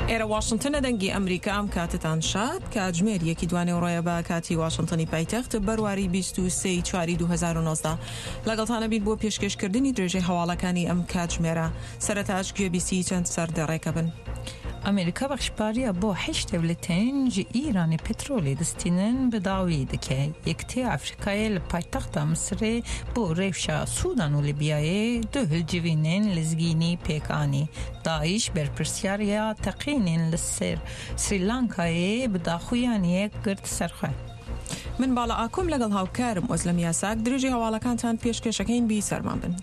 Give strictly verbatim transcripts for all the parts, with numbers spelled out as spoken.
ئێرە واشنتنە، دەنگی ئەمریکا. ئەم کاتتان شاد. کاتژمێر یەکی دوانێوڕۆیە بە کاتی واشنتنی پایتەخت، بەرواری بیست و سێ چواری دوو هەزار و نۆزدە. لەگەڵتانە بین بۆ پێشکێشکردنی درێژەی هەواڵەکانی ئەم کاتژمێرە. سەرەتاش گوێبیستی چەند سەردێڕێکە بن. ئەمریکا بەخشپاریە بۆ هەشت دەولەتێن ji Îranê petrolê distînin bi dawî dike. Yekitiya Afrikayê li paytexta Misirê bo rewşa Sûdan û Libyayê du hilcivînên lezgînî pêk anî. Daiş berpirsyariya teqînên li ser Sri Lankayê bi daxuyaniyek girt ser xwe. من باڵا ئاکۆم لەگەڵ هاوکارم ئۆزلەم یاساک درێژی هەواڵەکانتان پێشکێشەکەین بی سەرمان بن.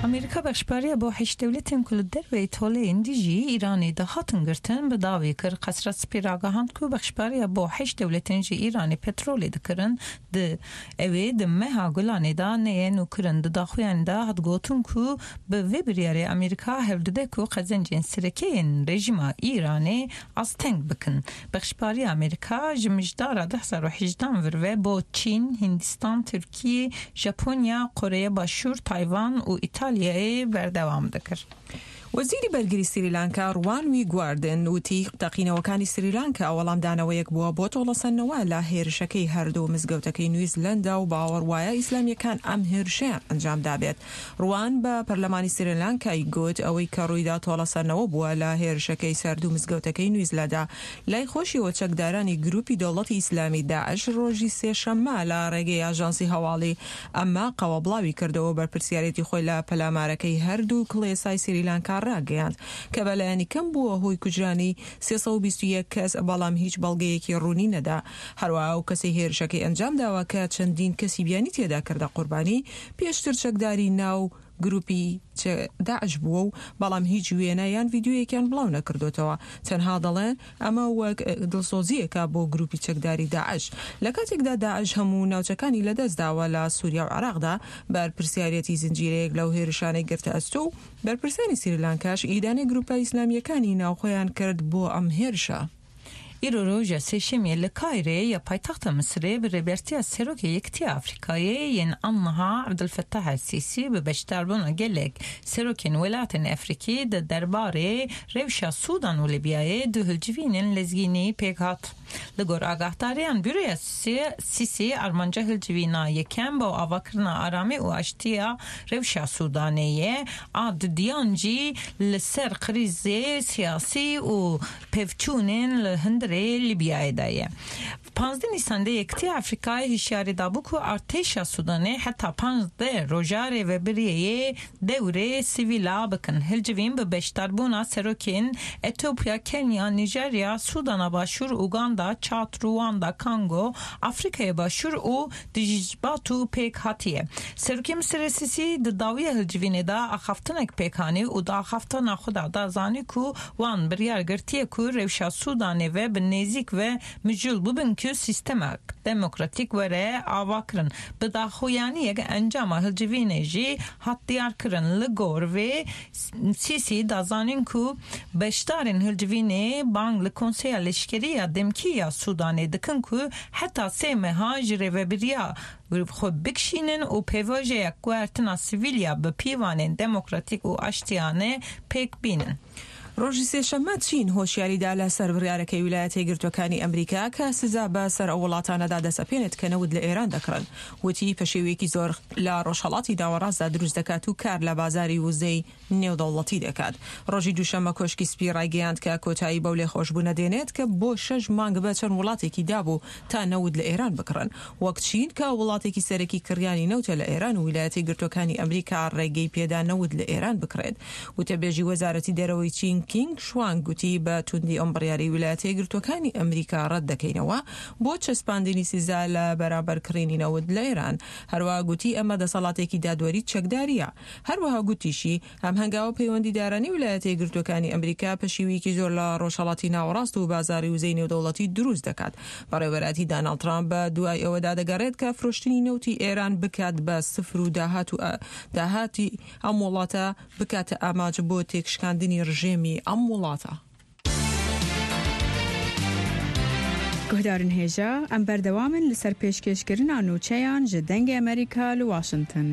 ئەمریکا بەخشپاریە بۆ هەشت دەولەتên ku li derveyê toleyên dijî Îranê dihatin girtin bi dawî kir. Qesra Spî ragihand ku bexşpariya bo heşt dewletên ji Îranê petrolê dikirin di ew ê di meha Gulanê de neyê nûkirin. Di daxuyanê de hat gotin ku bi vê biryarê Amerîka hewl dide ku qezencên serekeyên rejîma Îranê asteng bikin. Bexşpariya Amerîka ji mijdara du hezar û hejdan vir ve bo Çîn, Hindistan, Tirkiye, Japonya, Koreya Başûr, Tayvan û İtalya berdewam dikir. وەزیری بەرگری سریلانکا ڕوان ویگواردن وتی تەقینەوەکانی سریلانکا وەڵامدانەوەیەک بووە بۆ تۆڵەسەندنەوە لە هێرشەکەی هەردوو مزگەوتەکەی نیوزلەندا و باوەڕ وایە ئیسلامیەکان ئەم هێرشەیان ئەنجام دابێت. ڕوان بە پەرلەمانی سریلانکای گوت ئەوەی کە ڕوویدا تۆڵەسەندنەوە بووە لە هێرشەکەی سەردوو مزگەوتەکەی نیوزلەندا. لای خۆشیەوە چەکدارانی گروپی دەوڵەتی ئیسلامی داعش ڕۆژی سێشەممە لە ڕێگەی ئاژانسی هەواڵی ئەماقەوە بڵاوی کردەوە بەرپرسیارێتی خۆی لە پەلامارەکەی هەردوو کڵێسای سریلانکا ڕاگەیاند کە بەلایەنی کەم بووە هۆی کوژرانی سێ سەد و بیست و یەک کەس، بەڵام هیچ بەڵگەیەکی ڕوونی نەدا. هەروەها ئەو کەسەی هێرشەکەی ئەنجام داوە کە چەندین کەسی بیانی تێدا کردە قوربانی پێشتر چەکداری ناو گروپی داعش بووە و بەڵام هیچ وێنە یان ڤیدیۆیەکیان بڵاو نەکردوتەوە. تەنها دەڵێن ئەمە وەک دڵسۆزیەکە بۆ گروپی چەکداری داعش. لە کاتێکدا داعش هەموو ناوچەکانی لەدەستداوە لە سووریا و عێراقدا، بەرپرسیارەتی زنجیرەیەک لەو هێرشانەی گرتە ئەستۆ و بەرپرسانی سریلانکاش ئیدانەی گروپە ئیسلامیەکانی ناوخۆیان کرد بۆ ئەم هێرشە. Îro roja sêşemê li Kayrê ya paytexta Misirê bi rêbertiya Serokê Yekitiya Afrikayê yên Anniha Ebdulfettah el-Sîsî bi beşdarbûna gelek serokên welatên Efrîkî di derbarê rewşa Sûdan û Libyayê du hilcivînên lezgînî pêk hat. Li gor agahdariyan Büroya Sîsî armanca hilcivîna yekem bo avakirina aramî û aştiya rewşa Sûdanê ye, a dudiyan jî li ser krîzê siyasî û pevçûnên li hundirê Libyayê de ye. Pazdeh Nîsanê Yekitiya Afrikayê hişyarî dabû ku artêşa Sûdanê heta pazdeh roja rêvebiriyê dewrê sivîla bikin. Hilcivîn bi beşdarbûna serokên Etiyopya, Kenya, Nijerya, Sûdana Başûr, Uganda, Çad, Ruanda, Kango, Afrikaya Başûr û Djibouti pêk hatiye. Serokê Misirê Sîsî di dawiya hilcivînê de axaftinek pêk anî û di axaftina xwe de da zanî ku wan biryar girtiye ku rewşa Sûdanê ve bi nêzik ve mijûl bibin ku sîstemek demokratîk were ava kirin. Bi daxuyaniyek encama hilcivînê jî hat diyarkirin. Li gor vê Sîsî da zanîn ku beşdarên hilcivînê bang li Konseya Leşkerî ya Demkî ya Sûdanê dikin ku heta sê meha ji rêvebiriya xwe bikişînin û pêvajoya guhertina sivîl bi pîvanên demokratîk û aştiyane pêk bînin. ڕۆژی سێشەممە چین هۆشیاریدا لەسەر بڕیارەکەی ویلایەتە یەکگرتووەکانی ئەمریکا کە سزا بە سەر ئەو وڵاتانەدا دەسەپێنێت کە نەوت لە ئێران دەکڕن. وتی پەشێویەکی زۆر لە ڕۆژهەڵاتی ناوەڕاستدا دروست دەکات و کار لە بازاری وزەی نێودەوڵەتی دەکات. ڕۆژی دووشەممە کۆشکی سپی ڕایگەیاند کە کۆتایی بەو لێخۆشبوونە دێنێت کە بۆ شەش مانگ بە چەند وڵاتێکی دابوو تا نەوت لە ئێران بکڕن، وەک چین کە وڵاتێکی سەرەکی کڕیانی نەوتە لە ئێران و ویلایەتە یەکگرتووەکانی ئەمریکا ڕێگەی پێدا نەوت لە ئێران بکڕێت. وتەبێژی وەزارەتی دەرەوەی چین کینگ شوانگ گوتی بە توندی ئەم بڕیاری ویلایەتە یەکگرتووەکانی ئەمریکا ڕەت دەکەینەوە بۆ چەسپاندنی سزا لە بەرامبەر کڕینی نەوت لە ئێران. هەروەها گوتی ئەمە دەسەڵاتێکی دادوەری چەکداریە. هەروەها گوتیشی ئەم هەنگاوە پەیوەندیدارانی ویلایەتە یەکگرتووەکانی ئەمریکا پەشیویەکی زۆر لە ڕۆژهەڵاتی ناوەڕاست و بازاری وزەی نێودەوڵەتی دروست دەکات. بەڕێوەبەرایەتی داناڵد ترامپ بە دوای ئەوەدا دەگەڕێت کە فرۆشتنی نەوتی ئێران بکات بە سفر و داهات و داهاتی ئەم وڵاتە بکاتە ئامانج بۆ تێکشکاندنی ڕژێمی ئەم وڵاتە. گوهدارن هێژا ئەم بەردەوامن لەسەر پێشکێشکردنا نوچەیان ji دەنگی ئەمریکا لە واشنگتن.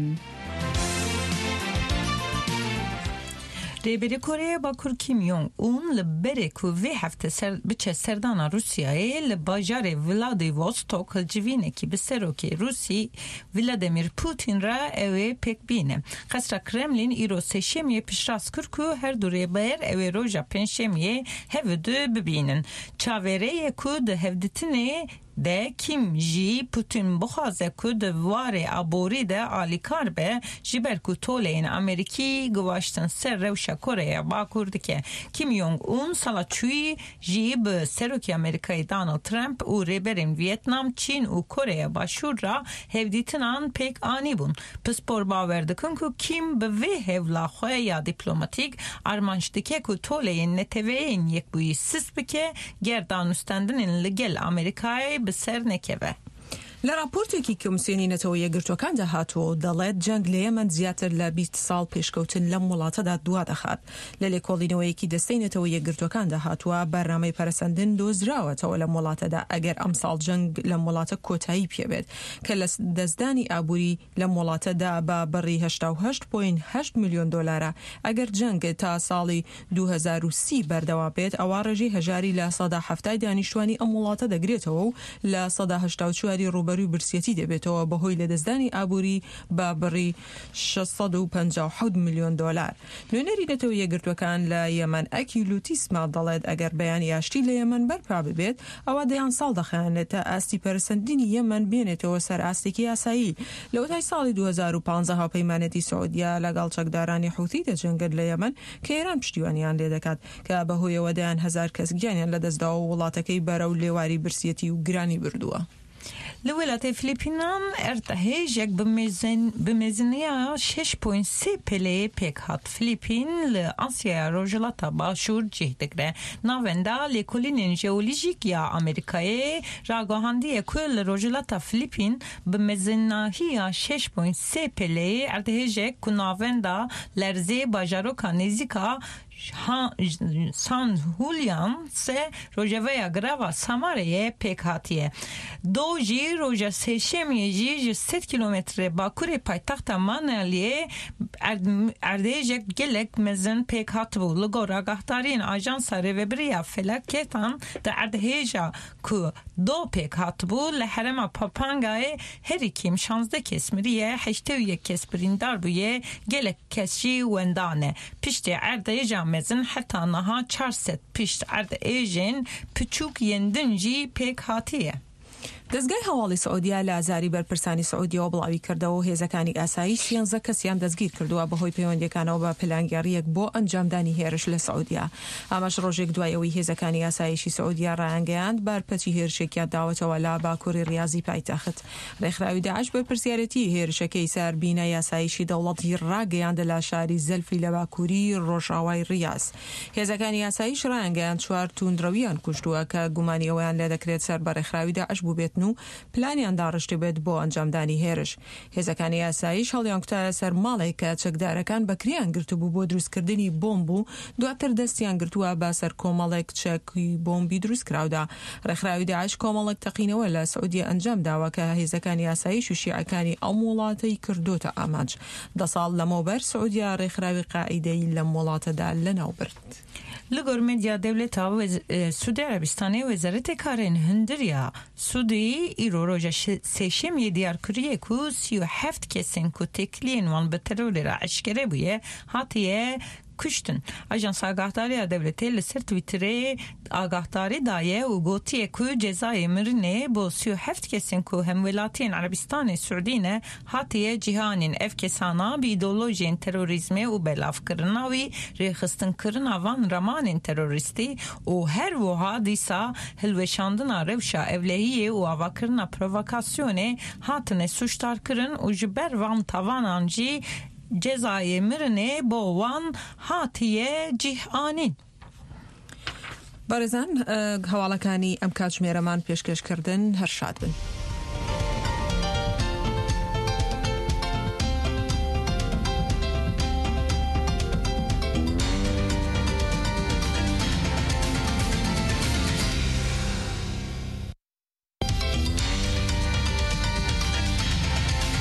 Rêberê Koreya Bakur Kim Jong-un li berê ku vê hefte ser, biçe serdana Rûsyayê li bajarê Vladivostok hilcivînekî bi serokê Rûsî Vladimir Putin re ew ê pêk bîne. Qesra Kremlin îro sêşemiyê piştrast kir ku her du rêber ew ê roja pêncşemiyê hev du bibînin. Çaverêye ku di hevdîtinê de Kim jî Putin bixwaze ku di warê aborî de alîkar be ji ber ku toleyên Amerîkî givaştin ser rewşa Koreya Bakur dike. Kim Jong-un sala çûyî jî bi Serokê Amerîkayê Donald Trump û rêberên Vietnam, Çîn û Koreya Başûr re hevdîtinan pêk anîbûn. Pispor bawer dikin ku Kim bi vê hewla xwe ya dîplomatîk armanc dike ku toleyên neteweyên yekbûyî sist bike ger danûstandinên li gel Amerîkayê bi ser nekeve. لە راپۆرتێکی کۆمسیۆنی نەتەوە یەکگرتووەکاندا هاتووە و دەڵێت جەنگ لە یەمەن زیاتر لە بیست ساڵ پێشکەوتن لەم وڵاتەدا دوا دەخات. لە لێکۆڵینەوەیەکی دەستەی نەتەوە یەکگرتووەکاندا هاتووە بەرنامەی پەرەسەندن دۆزراوەتەوە لەم وڵاتەدا ئەگەر ئەمساڵ جەنگ لەم وڵاتە کۆتایی پێبێت کە لە دەستدانی ئابووری لەم وڵاتەدا بە بڕی هەشتا و هەشت پۆینت هەشت ملیۆن دۆلارە. ئەگەر جەنگ تا ساڵی دوو هەزار و سی بەردەوام بێت ئەوا ڕێژەی هەژاری لە سەدا حەفتای دانیشتوانی ئەم وڵاتە دەگرێتەوە و لە سەدا هەشتا و چواری ڕووبەرووی برسیەتی دەبێتەوە بەهۆی لەدەستدانی ئابووری بە بڕی شەش سەد و پەنجا و حەوت ملیۆن دۆلار. نوێنەری نەتەوە یەکگرتووەکان لە یەمەن ئەکیلوتیسما دەڵێت ئەگەر بەیانی ئاشتی لە یەمەن بەرپا ببێت ئەوە دەیان ساڵ دەخایەنێت تا ئاستی پەرەسەندنی یەمەن بێنێتەوە سەر ئاستێکی ئاسایی. لەوەتای ساڵی دوو هەزار و پانزە هاوپەیمانێتی سعودیا لەگەڵ چەکدارانی حوثی دەجەنگن لە یەمەن کە ئێران پشتیوانیان لێدەکات کە بەهۆیەوە دەیان هەزار کەس گیانیان لەدەستداوە و وڵاتەکەی بەرەو لێواری برسیەتی و گرانی بردووە. Li welatê Filîpînan erdhejek bi meziniya şeş point sê peleyê pêk hat. Filîpîn li Asyaya Rojhilata Başûr cih digre. Navenda lêkolînên jeolojîk ya Amerîkayê ragihandiye ku li Rojhilata Filîpîn bi mezinahiya şeş point sê peleyê erdhejek ku navenda lerzê bajaroka nêzîka San Julian se rojavaya grava Samareyê pêk hatiye. Do jî roja sêşemiyê jî ji sed kîlometre bakurê paytexta Maneliyê erdhejek gelek mezin pêk hatibû. Li gor agahdariyên Ajansa Rêveberiya Felaketan di erdheja ku do pêk hatibû li herêma Pampangayê herî kêm şanzdeh kes miriye, heştê û yek kes birîndar bûye, gelek kes jî wenda ne. Piştî erdheja mezin heta niha çar sed pişt erdhejên piçûk yên din jî pêk hatiye. دەستگای هەواڵی سعودیا لە ئازاری بەرپرسانی سعودیەوە بڵاوی کردەوە و هێزەکانی ئاسایش سیانزە کەسیان دەستگیر کردووە بەهۆی پەیوەندیەکانەوە بە پلانگێڕیەک بۆ ئەنجامدانی هێرش لە سعودیا. ئەمەش ڕۆژێک دوای ئەوەی هێزەکانی ئاسایشی سعودیا ڕایانگەیاند بارپەچی هێرشێکیان داوەتەوە لە باکووری ڕیازی پایتەخت. ڕێکخراوی داعش بەرپرسیارەتی هێرشەکەی سەر بینای ئاسایشی دەوڵەتی ڕاگەیاندە لە شاری زەلفی لە باکووری ڕۆژاوای ڕیاز. هێزەکانی ئاسایش ڕایانگەیاند چوار توندڕەویان کوشتووە کە گومانی ئەوەیان لێ دەکرێت سەر بە ڕێکخراوی داعش بووبێتن و پلانیان داڕشتی بێت بۆ ئەنجامدانی هێرش. هێزەکانی ئاسایش هەڵیان کوتایە سەر ماڵێک کە چەکدارەکان بەکریان گرتبوو بۆ دروستکردنی بۆمب و دواتر دەستیان گرتووە بە سەر کۆمەڵێک چەکی بۆمبی دروستکراودا. ڕێکخراوی داعش کۆمەڵێک تەقینەوە لە سعودیە ئەنجام داوە کە هێزەکانی ئاسایش و شیعەکانی ئەم وڵاتەی کردۆتە ئامانج. دە ساڵ لەمەوبەر سعودیا ڕێکخراوی قاعیدەی لەم وڵاتەدا لەناو برد. Li gor medya dewleta Suudi Arabistanê Wezaretê Karên Hundir ya Suudî îro roja sêşemiyê diyar kiriye ku sî û heft kesên ku têkiliyên wan bi terorê re eşkere bûye hatiye kuştin. Ajansa Agahdariya Dewletê li ser Twitterê agahdarî daye û gotiye ku cezayê mirinê bo sî û heft kesên ku hemwelatiyên Arabistanê Suudî ne hatiye cihanîn. Ev kesana bi îdeolojiyên terorîzmê û belavkirina wî rêxistinkirina van ramanên terorîstî û her wiha dîsa hilweşandina rewşa ewlehiyê û avakirina provokasyonê hatine suçdarkirin û ji ber van tavanan jî cezayê mirinê bo wan hatiye cihanîn. بەڕێزان هەواڵەکانی ئەم کاتژمێرەمان پێشکەشکردن هەر شاد بن.